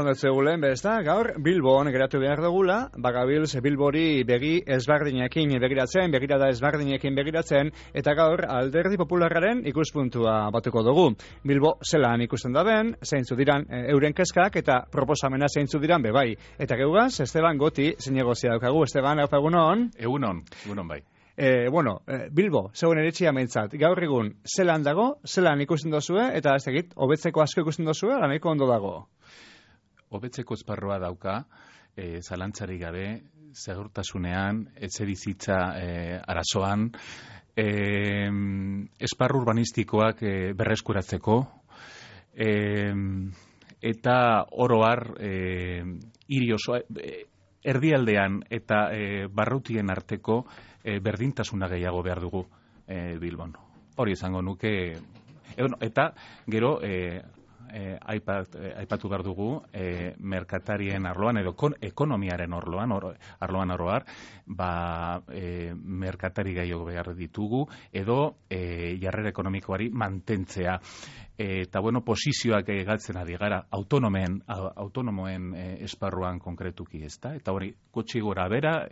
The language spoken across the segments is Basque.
esan dut zegulen, gaur Bilbon geratu behar dugula, bagabilz Bilbori begi ezberdinekin begiratzen, begirada ezberdinekin begiratzen, eta gaur Alderdi Popularraren ikuspuntua batuko dugu. Bilbo zelan ikusten da ben, zeintzu diran euren kezkak, eta proposamena zeintzu diran bebai. Eta geugaz, Esteban Goti zinegozia daukagu. Esteban, hau egunon? Egunon bai. Bilbo, zeuen eritxia meintzat, gaur egun zelan dago, zelan ikusten dozue, eta ez egit, hobetzeko asko ikusten dozue, ala nahiko ondo dago? Hobetzeko esparroa dauka, zalantzarik gabe, segurtasunean, etxebizitza arazoan, esparru urbanistikoak berreskuratzeko, eta oro har, hiri oso, erdialdean eta barrutien arteko berdintasuna gehiago behar dugu Bilbon. Hori izango nuke, eta gero aipatu behar dugu merkatarien arloan edo ekonomiaren arloan oroar, merkatari gehiago behar ditugu edo jarrera ekonomikoari mantentzea. Eta posizioak galtzen ari gara autonomoen esparruan konkretuki, ezta? Eta hori gutxi gora bera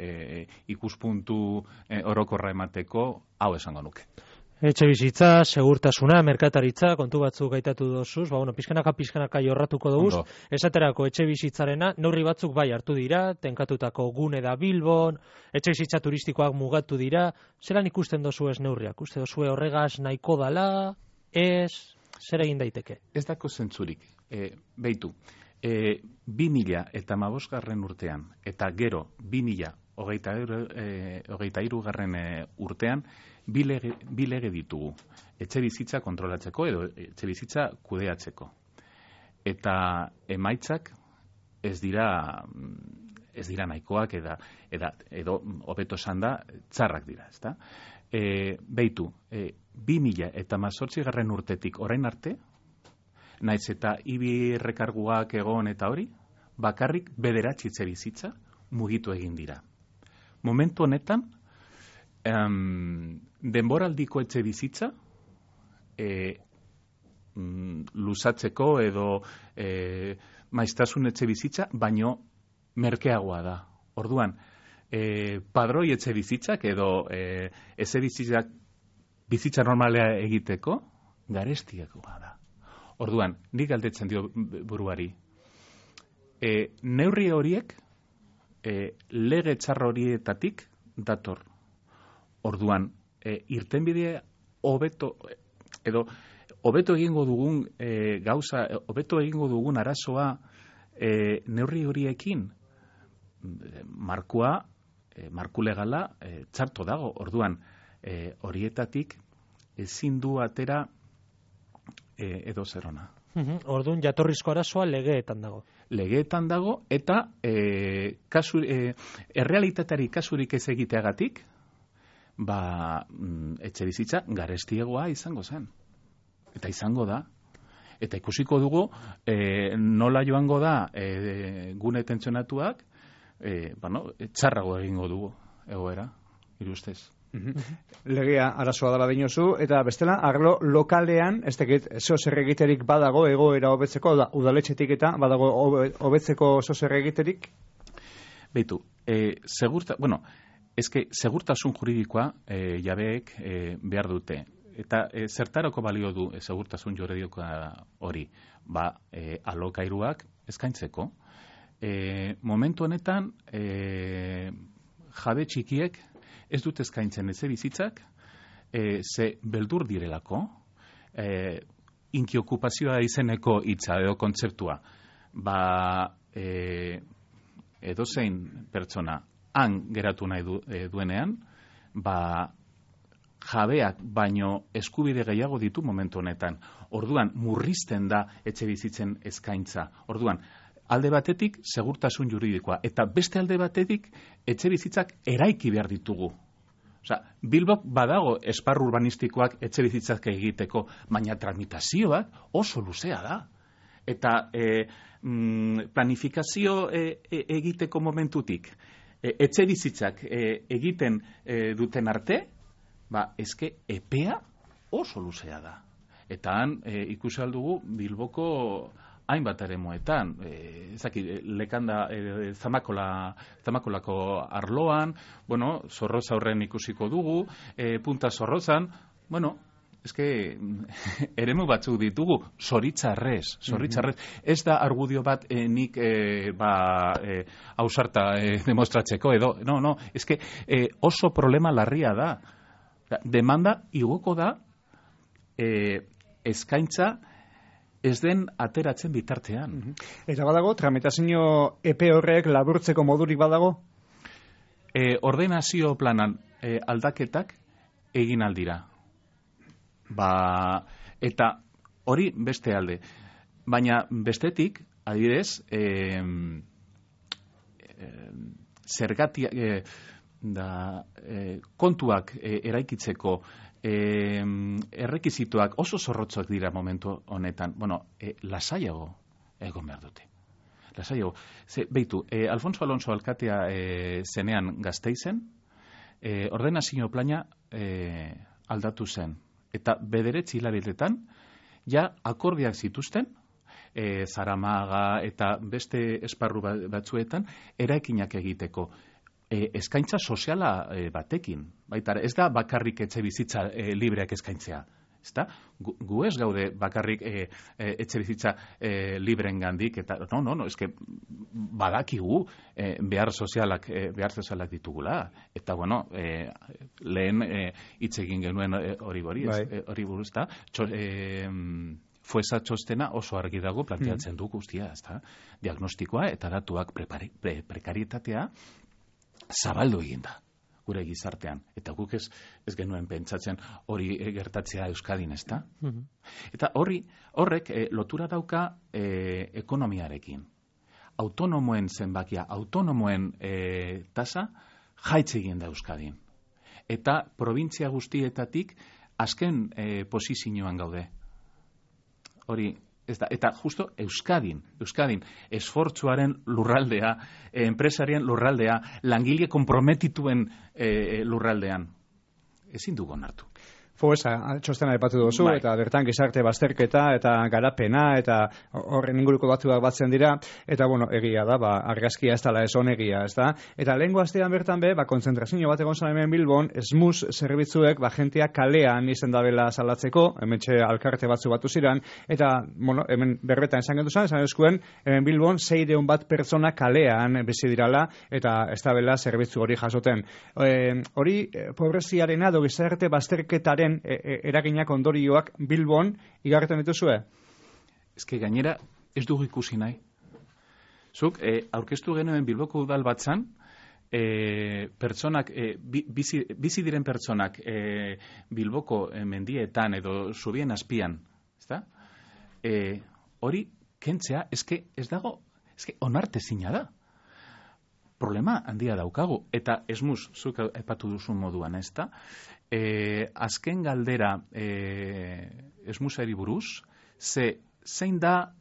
ikuspuntu orokorra emateko hau esango nuke. Etxe bizitza, segurtasuna, merkataritza, kontu batzuk gaitatu dozuz, pizkanaka jorratuko duguz, esaterako etxe bizitzarena, neurri batzuk bai hartu dira, tenkatutako gune da Bilbon, etxe bizitza turistikoak mugatu dira, zelan ikusten dozu ez neurriak? Uste dozue horregaz nahiko dala, ez, zer egin daiteke? Ez dako zentzurik, behitu, 2015 urtean, eta gero 2023 urtean, bi lege ditugu, etxe bizitza kontrolatzeko edo etxe bizitza kudeatzeko. Eta emaitzak ez dira nahikoak edo hobeto esan da txarrak dira, ezta? Behitu, 2018 urtetik orain arte, naiz eta IBI errekarguak egon eta hori, bakarrik 9 etxe bizitza mugitu egin dira. Momentu honetan, denboraldiko etxe bizitza luzatzeko edo maiztasun etxe bizitza, baino merkeagoa da. Orduan, padroi etxe bizitzak edo etxe bizitza normalea egiteko garestiagoa da. Orduan, nik galdetzen dio buruari, neurri horiek lege txarra horietatik dator. Orduan, irtenbidea hobeto egingo dugun gauza, hobeto egingo dugun arazoa neurri horiekin marku legala txarto dago. Orduan, horietatik ezin du atera edo zerona. Orduan, jatorrizko arazoa legeetan dago. Legeetan dago eta errealitateari kasurik ez egiteagatik, etxe bizitza garestiegoa izango zen. Eta izango da. Eta ikusiko dugu nola joango da gune tentsionatuak, txarrago egingo dugu egoera, irustez. Legea arazoa dela dinozu, eta bestela, arlo lokalean, ez dakit, zer egiterik badago egoera hobetzeko, udaletxetik eta badago hobetzeko zer egiterik? Beitu, segurtasun juridikoa jabeek behar dute. Eta zertarako balio du segurtasun juridikoa hori? Alokairuak eskaintzeko. Momentu honetan, jabe txikiek ez dut eskaintzen etxe bizitzak, ze beldur direlako, inkiokupazioa izeneko hitza edo kontzeptua, edozein pertsona han geratu nahi duenean, jabeak baino eskubide gehiago ditu momentu honetan. Orduan, murrizten da etxe bizitzen eskaintza. Orduan, alde batetik, segurtasun juridikoa, eta beste alde batetik, etxe bizitzak eraiki behar ditugu. Bilbok badago esparru urbanistikoak etxe bizitzak egiteko, baina tramitazioak oso luzea da. Eta planifikazio egiteko momentutik, etxe bizitzak egiten duten arte, eske epea oso luzea da. Eta han ikusi aldugu Bilboko hainbat eremuetan, lekanda Zamakolako arloan, bueno, Zorroza horren ikusiko dugu, Punta Zorrozan, bueno, eremu batzuk ditugu, zoritzarrez. Ez da argudio bat nik ausarta demostratzeko, edo, no, oso problema larria da. Demanda igoko da eskaintza ez den ateratzen bitartean. Eta badago, tramitazio epe horrek laburtzeko modurik badago? Ordenazio planan aldaketak egin aldira. Eta hori beste alde. Baina bestetik, adibidez, kontuak eraikitzeko errekizituak oso zorrotzak dira momentu honetan. Bueno, lasaiago egon behar dute. Lasaiago. Beitu, Alfonso Alonso alkatea zenean Gasteizen, ordenazio plana aldatu zen. Eta 9 hilabetetan, ja akordiak zituzten, Zaramaga eta beste esparru batzuetan, eraikinak egiteko. Eskaintza soziala batekin. Baita, ez da bakarrik etxe bizitza libreak eskaintzea. Ezta? Gu ez gaude bakarrik etxe bizitza libreen gandik, eta no, eske badakigu behar sozialak ditugula. Eta, bueno, lehen hitz egin genuen hori buruz, eta Fuesa txostena oso argi dago planteatzen du guztia, ezta? Diagnostikoa eta datuak prekarietatea zabaldu egin da gure gizartean. Eta guk ez genuen pentsatzen hori gertatzea Euskadin, ezta? Eta horrek lotura dauka ekonomiarekin. Autonomoen zenbakia, autonomoen tasa jaitsi egin da Euskadin. Eta provintzia guztietatik azken posizioan gaude. Hori, ez da, eta justo Euskadin, esfortzuaren lurraldea, enpresarien lurraldea, langile konprometituen lurraldean, ezin dugu onartu. Fuesa, txostena aipatu duzu, eta bertan gizarte bazterketa eta garapena, eta horren inguruko batzuak batzen dira, eta, bueno, egia da, argazkia ez dela ez onegia, ez da? Eta lehengo astean bertan konzentrazio bat egon zan hemen Bilbon, SMUS zerbitzuek, jentea kalean izen dabela salatzeko, hemen alkarte batzu batu ziren, eta, bueno, hemen berbetan esan gendu esan eskuen, hemen Bilbon 600 bat pertsona kalean bizi dirala, eta ez dabela zerbitzu hori jasoten. Hori, pobreziarena edo gizarte bazterketaren eraginak ondorioak Bilbon igarretan dituzue? Ezke gainera ez dugu ikusi nahi. Zuk, aurkeztu genuen Bilboko udal batzan, pertsonak, bizi diren pertsonak Bilboko mendietan edo zubien azpian, ezta? Hori kentzea, ez dago, onartezina da. Problema handia daukagu, eta esmuz, zuk epatu duzun moduan, ezta? Azken galdera esmuzari buruz, zein da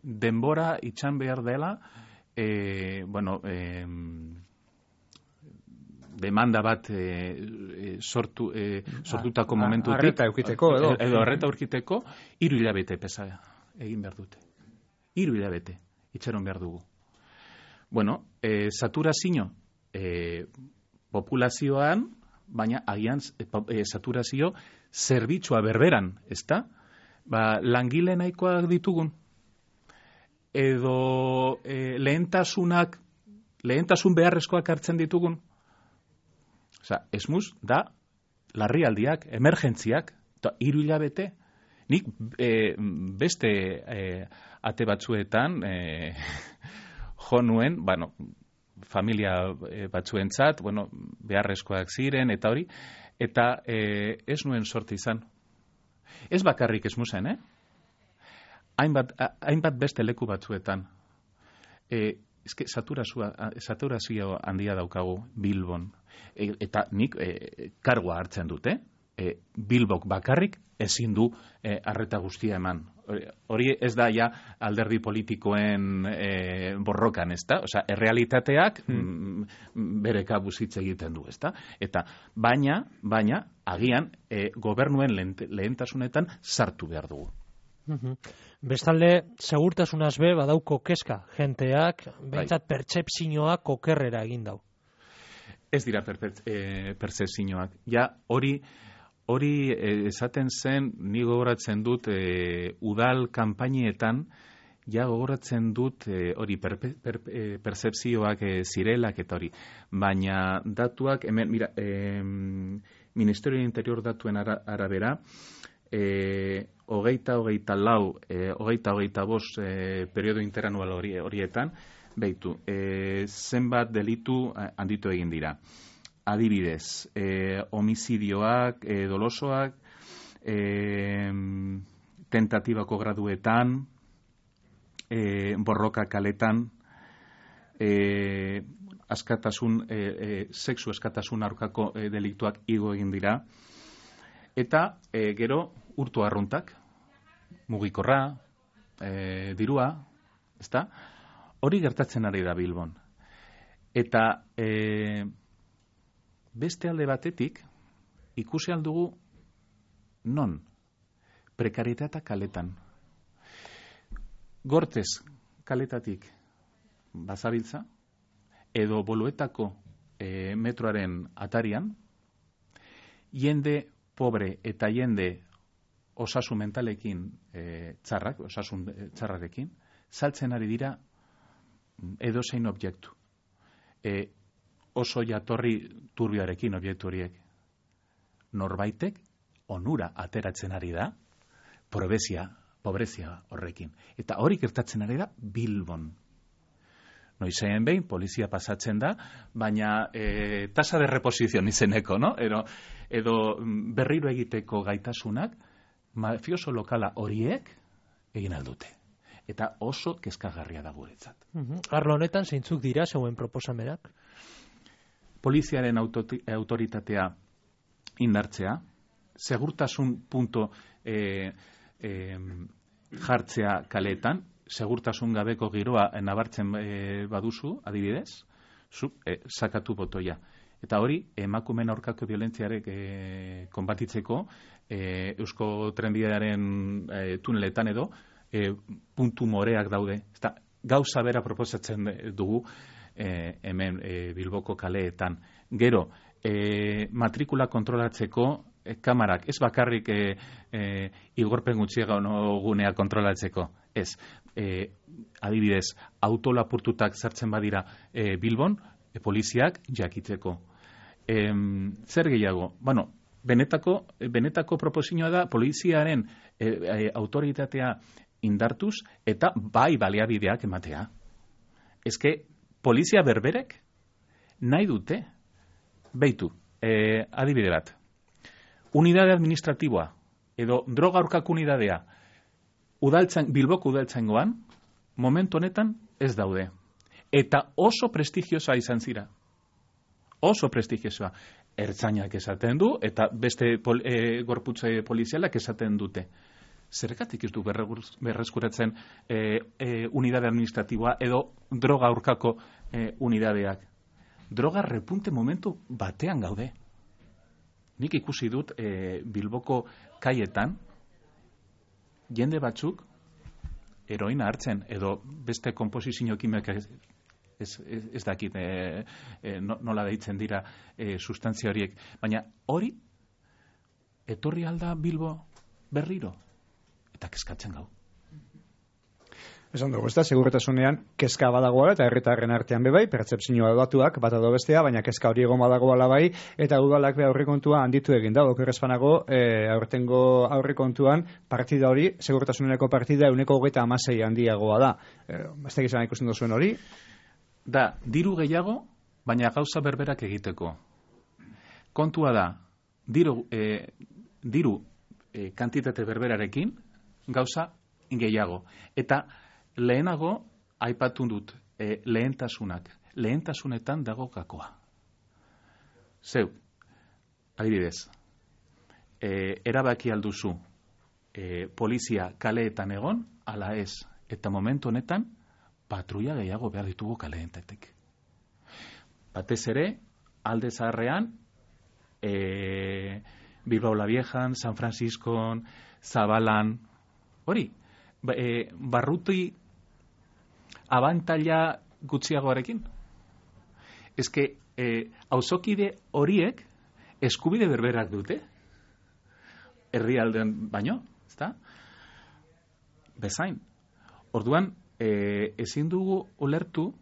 denbora itxan behar dela, demanda bat sortutako momentutik. Arreta eukiteko, edo. Edo arreta eukiteko, 3 hilabete pesa egin behar dute. 3 hilabete itxeron behar dugu. Bueno, saturazio populazioan, baina agian saturazio zerbitzua berberan, ezta? Langile nahikoak ditugun, edo lehentasun beharrezkoak hartzen ditugun. Osa, esmuz da larrialdiak, emergentziak, eta 3 hilabete, nik beste ate batzuetan jo nuen, familia batzuentzat, beharrezkoak ziren, eta hori, eta ez nuen sorte izan. Ez bakarrik esmuzen, hainbat beste leku batzuetan. Saturazio handia daukagu Bilbon, eta nik kargoa hartzen dute, Bilbok bakarrik ezin du arreta guztia eman. Hori ez da ja alderdi politikoen borrokan, ezta? Osea, errealitateak bere kabuz hitz egiten du, ezta? Eta baina agian gobernuen lehentasunetan sartu behar dugu. Bestalde, segurtasunaz be badauko kezka, jenteak, behintzat pertsepzioak okerrera egin dau. Ez dira pertzepzioak. Ja, hori esaten zen, ni gogoratzen dut udal kanpainietan, ja gogoratzen dut hori pertzepzioak zirelak eta hori. Baina datuak, hemen, mira, Ministerio Interior datuen arabera, hogeita bost periodo interanual horietan, behitu, zenbat delitu handitu egin dira. Adibidez, homizidioak, dolosoak, tentatibako graduetan, borroka kaletan, sexu askatasun aurkako deliktuak igo egin dira, eta gero urtu arruntak, mugikorra, dirua, ezta? Hori gertatzen ari da Bilbon. Eta beste alde batetik, ikusi aldugu non, prekarietatea kaletan. Gortez kaletatik bazabiltza, edo Boluetako metroaren atarian, jende pobre eta jende osasun mentalekin osasun txarrarekin, saltzen ari dira edozein objektu. Oso jatorri turbioarekin objektu horiek. Norbaitek onura ateratzen ari da, pobrezia horrekin. Eta hori gertatzen ari da Bilbon. Noizean behin, polizia pasatzen da, baina tasa de reposizion izeneko, no? Edo berriro egiteko gaitasunak, mafioso lokala horiek egin aldute. Eta oso kezkagarria da guretzat. Arlo honetan, zeintzuk dira zeuen proposamenak? Poliziaren autoritatea indartzea, segurtasun punto jartzea kaletan, segurtasun gabeko giroa nabartzen baduzu, adibidez, sakatu botoia. Eta hori, emakumeen aurkako violentziarek konbatitzeko, Eusko Trenbidearen tuneletan edo, puntu moreak daude. Gauza bera proposatzen dugu hemen Bilboko kaleetan. Gero, matrikula kontrolatzeko kamarak, ez bakarrik igorpen gutxiega gunea kontrolatzeko. Ez, adibidez, autolapurtutak sartzen badira Bilbon, poliziak jakitzeko. Zer gehiago? Bueno, benetako proposizioa da poliziaren autoritatea indartuz eta bai baliabideak ematea. Ezke, polizia berberek nahi dute, beitu, adibide bat, unidade administratiboa edo droga aurkako unidadea Bilboko udaltzaingoan, momentu honetan ez daude. Eta oso prestigiosa izan zira. Oso prestigiosa. Ertzainak esaten du, eta beste gorputze polizialak esaten dute. Zergatik ez du berreskuratzen unidade administratiboa edo droga aurkako unidadeak. Droga repunte momentu batean gaude. Nik ikusi dut Bilboko kaietan, jende batzuk heroina hartzen, edo beste konposizio kimika ez dakit nola deitzen dira sustantzia horiek. Baina hori etorri alda Bilbo berriro. Eta kezkatzen gau. Esan dugu, ez da, segurtasunean kezka badagoa eta herritarren artean bebai, pertzepzioa batuak, bat edo bestea, baina kezka hori egon badagoala bai, eta udalak be aurrekontua handitu egin da, okerrezpanago, aurtengo aurrekontuan partida hori, segurtasuneko partida 126 handiagoa da. Ez da gizan ikusten duzuen hori? Da, diru gehiago, baina gauza berberak egiteko. Kontua da, diru kantitate berberarekin, gauza gehiago. Eta lehenago, aipatu dut, lehentasunak. Lehentasunetan dago gakoa. Zeu, adibidez, erabaki alduzu polizia kaleetan egon, ala ez. Eta momentu honetan, patrulla gehiago behar ditugu kaleetatik. Batez ere, alde zaharrean, Bilbao la Viejan, San Franciscon, Zabalan, Hori, barruti abantaila gutxiagoarekin. Ezke, auzokide horiek eskubide berberak dute, herrialdean baino, ezta? Bezain. Orduan, ezin dugu ulertu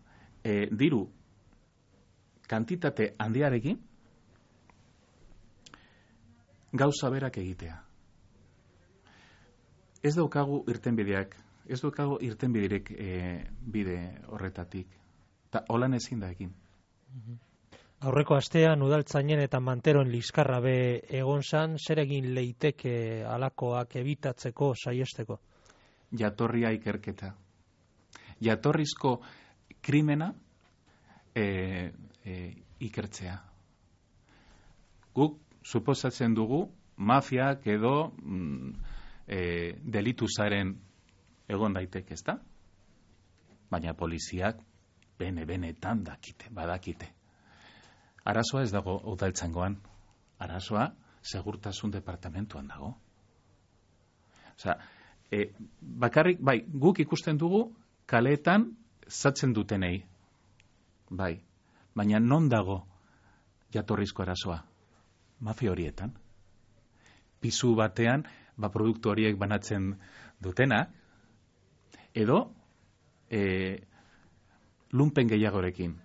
diru kantitate handiarekin gauza berak egitea. Ez daukagu irtenbideak, ez daukagu irtenbiderek bide horretatik. Ta holan ezin da egin. Aurreko astean udaltzainen eta manteroen liskarra be egon zan, zer egin leiteke alakoak ebitatzeko, saiesteko? Jatorria ikerketa. Jatorrizko krimena ikertzea. Guk suposatzen dugu mafiak edo delitu zaren egon daiteke, ezta? Baina poliziak benetan badakite. Arazoa ez dago udaltzaingoan. Arazoa segurtasun departamentuan dago. Osea, bakarrik, bai, guk ikusten dugu kaleetan zatzen dutenei. Bai, baina non dago jatorrizko arazoa? Mafia horietan. Pisu batean, produktu horiek banatzen dutena, edo lumpen gehiagorekin.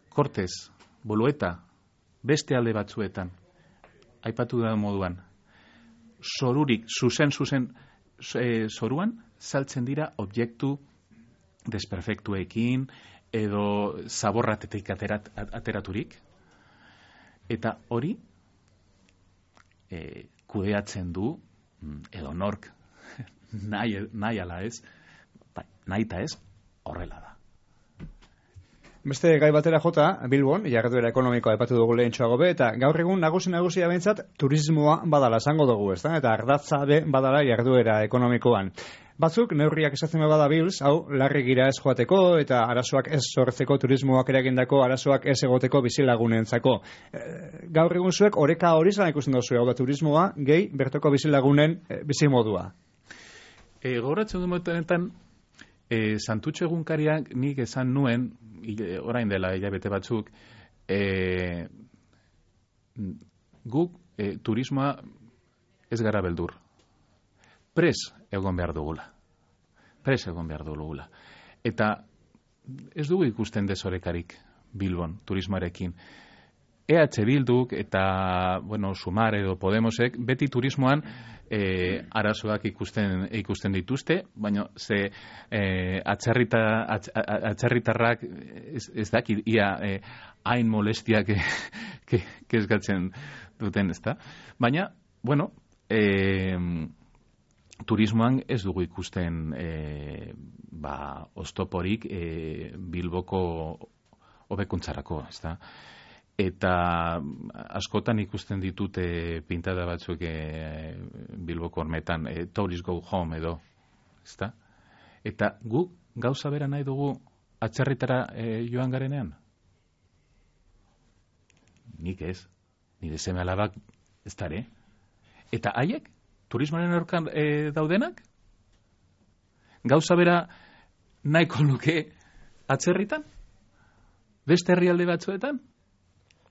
Kortez, Bolueta, beste alde batzuetan, aipatu da moduan, zorurik, zuzen zoruan, saltzen dira objektu desperfektuekin, edo zaborratetik ateraturik, eta hori kudeatzen du, edo nork, nahi ala ez, nahi eta ez, horrela da. Beste gai batera jota, Bilbon, jarduera ekonomikoa aipatu dugu lehentxoago be, eta gaur egun nagusia behintzat turismoa badala esango dugu, ezta? Eta ardatza be badala jarduera ekonomikoan. Batzuk, neurriak esatzen bada Bilz, hau, larri gira ez joateko, eta arazoak ez sortzeko, turismoak eragindako arazoak ez egoteko bizilagunentzako. Gaur egun zuek, oreka hori zan ikusten duzu, hau da turismoa, gehi, bertoko bizilagunen bizimodua. Gauratzen du momentan, Santutxo egunkariak nik esan nuen, orain dela hilabete batzuk, guk turismoa ez gara beldur. Pres egon behar dugula. Eta ez dugu ikusten desorekarik Bilbon, turismoarekin. EH Bilduk eta, Sumar edo Podemosek, beti turismoan arazoak ikusten dituzte, baina ze atzerritarrak ez daki ia hain molestiak kezkatzen duten, ezta? Baina, turismoan ez dugu ikusten oztoporik Bilboko hobekuntzarako, ezta? Eta askotan ikusten ditute pintada batzuk Bilboko hormetan, tourist go home edo, ezta? Eta guk gauza bera nahi dugu atzerritara joan garenean? Nik ez, nire seme alabak ez dare. Eta haiek, turismoaren aurkan daudenak? Gauza bera nahiko luke atzerritan? Beste herrialde batzuetan?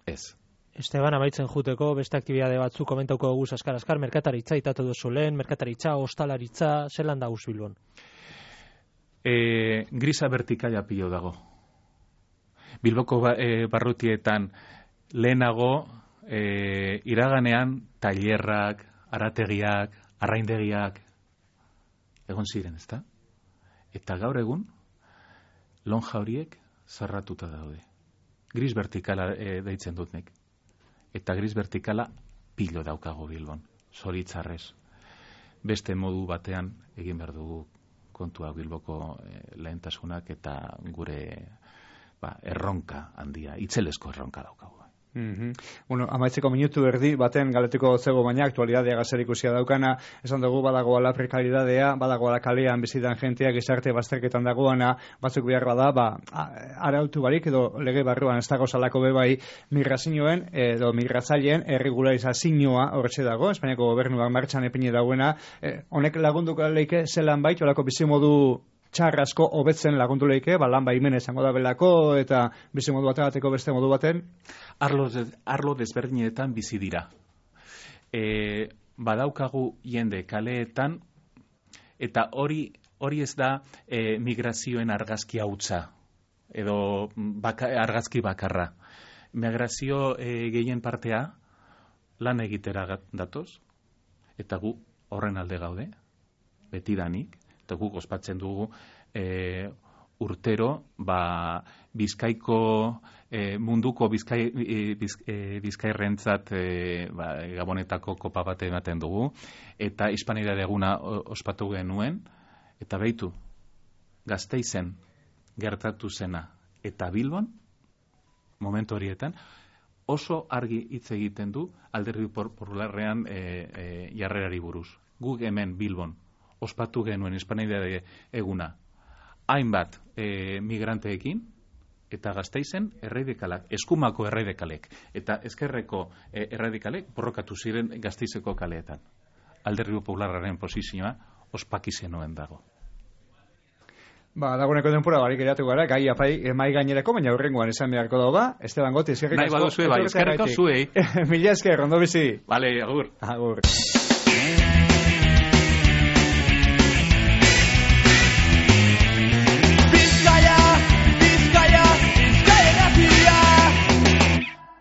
Ez. Esteban, amaitzen juteko, beste aktibidade batzuk komentauko dugu askar, merkataritza itatu duzu lehen, merkataritza, ostalaritza, zelan da Bilbon? Grisa vertikala pilo dago. Bilboko barrutietan lehenago iraganean tailerrak, arategiak, arraindegiak egon ziren, ezta? Eta gaur egun lonja horiek zarratuta daude. Gris vertikala deitzen dut nik. Eta gris vertikala pilo daukago Bilbon, zoritzarrez. Beste modu batean egin behar dugu kontua Bilboko lehentasunak eta gure erronka handia, itzelesko erronka daukago. Bueno, amaitzeko minutu erdi baten galetuko zego, baina aktualidadea gazer ikusia daukana, esan dugu badagoala prekalidadea, badagoala kalean bizitan jentea, gizarte bazterketan dagoana, batzuk behar bada, arautu barik edo lege barruan ez dago salako bebai migrazioen edo migratzaileen erregularizazioa horretxe dago, Espainiako gobernuak martxan epine dagoena, honek lagunduko leike zelan bait, olako bizimodu txarrasko hobetzen lagundu leike, lan baimen esango da belako, eta bizimodu bategateko beste modu baten? Arlo desberdinetan bizi dira. Badaukagu jende kaleetan, eta hori ez da migrazioen argazki hautsa, edo argazki bakarra. Migrazio gehien partea lan egitera datoz, eta gu horren alde gaude, betidanik, eta guk ospatzen dugu urtero Bizkaiko munduko bizkairrentzat Gabonetako kopa bat ematen dugu, eta Hispanidade eguna ospatu genuen, eta behitu Gasteizen gertatu zena eta Bilbon momentu horietan oso argi hitz egiten du Alderdi Popularrean jarrerari buruz. Guk hemen Bilbon ospatu genuen Hispanidade eguna hainbat migranteekin, eta Gasteizen erradikalak, eskumako erradikalek, eta ezkerreko erradikalek borrokatu ziren Gasteizeko kaleetan. Alderdi Popularraren posizioa ospaki zenuen dago. Dagoeneko denpora barik geratu gara, gai apai mai gainerako, baina hurrengoan esan beharko dago, Esteban Goti, eskerrik asko. Nahi baduzue, eskerrik asko zuei. Mila esker, ondo bizi. Vale, agur. Agur.